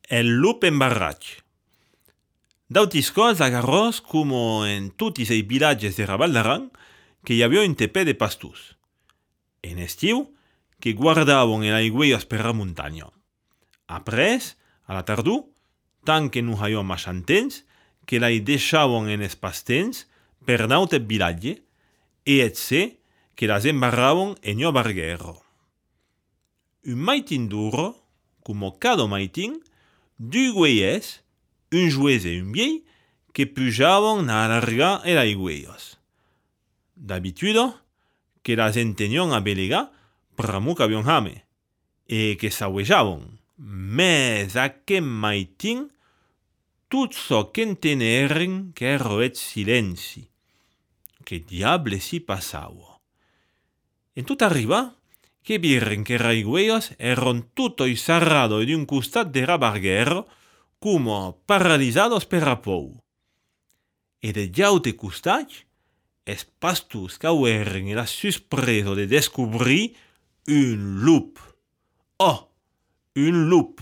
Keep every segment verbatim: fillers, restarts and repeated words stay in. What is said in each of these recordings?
El lup embarratge. D'autis cos agarros como en tutis ei vilatges de Raval d'Aran que hi havia un tepè de pastús. En estiu, que guardavon el aigüellos per la muntanya. Après, a la tardor, tant que non haviam machantens, que la deixavon en es pastens per naute vilatge e et se que las embarravon en io barguero. Un maitin duro, como cada maitin, du güeyes, un juez e un viei, que pujavon a alargar el aigüellos. D'habitude, que las entenion a belegar pramo que havion hame, e que s'auejavon. Mes aquel maitin, tot so qu'enteneren qu'ero et silenci. Que diable si passava? En tot arriba, que viren que raigüellos eron tutto sarrado d'un costat de rabarguero, como paralizados per a pou. E de jaute costat, es pastus caueren el suspreso de descobrir un lup. Oh, un lup,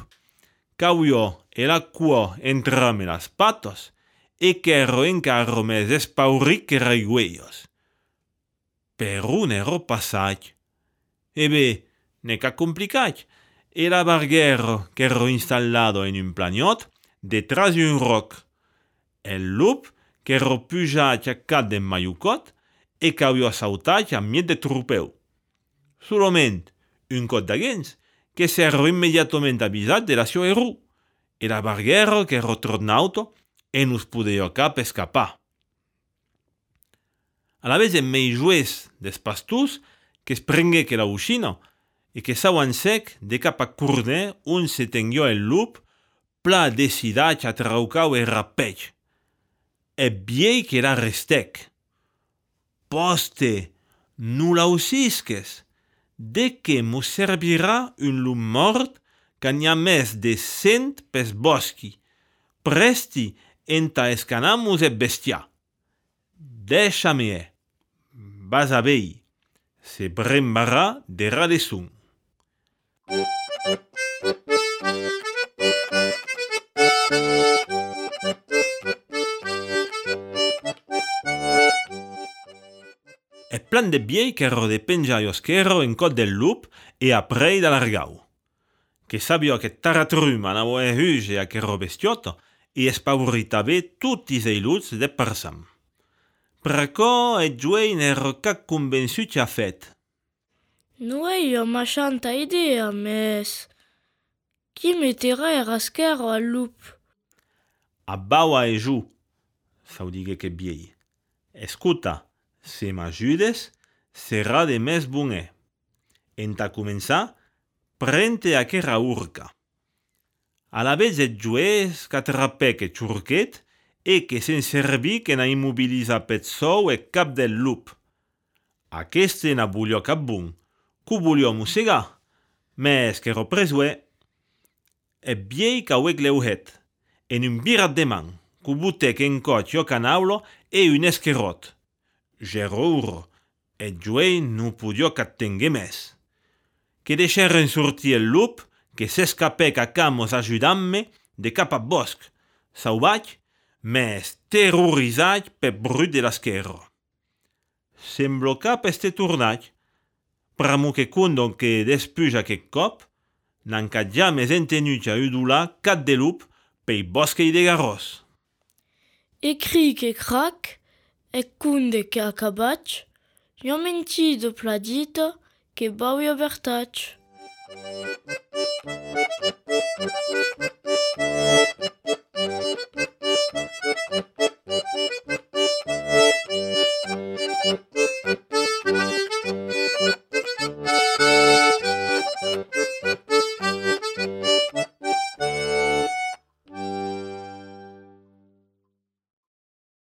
cauio e la cua entrame las patos, e qu'ero encara més espaurit que raigüellos. Per un ero passat. E bé, ne ca complicat. Era barguero que ero installado en un planiot detrás d'un roc. El lup que ero pujat a cat d'en maiucot e qu'havia sautat a miet de trupeu. Solament un cot d'aguens que s'ero immediatament avisat de la sua eru. Era barguero que ero tornauto e nus podeio cap escapar. A la vez en mei juez des pastús que es prengué que la uxina e que sauan sec de cap a curner un se tenguio el lup pla decidat a traucau e rapech. E biei que la restec. Poste, nu la usisques, de que mos servirà un lup mort que n'hi ha més de cent pes boschi. Presti enta escanamus e bestia. Deixa-me e. Vas a vei. Se brembarà de radesun. E plan de biei qu'ero de penjaios qu'ero en cot del lup e a prei d'alargau. Que sabio che taratrum anavo e huge a qu'ero bestiotto e espauritave tutis ei luts de persam. Pracò e giuei n'ero ca convençut a fet. Nu io machanta idea, mes... Qui mettera e rasquero al lup? Abbaua e giù, s'audighe che biei. Escuta, se m'ajudes, serà de mes bonè. Enta començar, prente a qu'era urca. A la vez et juez qu'atrapec e xurquet e que se'n serví que n'a immobilisa pet sou e cap del lup. Aqueste n'a bulio cap bon, qu'ho bulio mossegar, mes qu'ero presuè. E biei qu'auec leuhet, en un birat de man, qu'ho butec en cot io canaulo e un esquerot. Gerur, et juei non podio qu'attengue mes. Que deixeren sortir el lup, que s'escapec a camos ajudant-me de cap a bosc, sauvatge, mes terrorizat per brut de l'esquerro. Semblo cap este tornat, pramo que condon que despuja aquest cop, n'han cat jamais entenut a udolar cat de lup pei bosquei de garros. E cric e crac, e cunde che acabac, io mentido pladito che bauio vertac.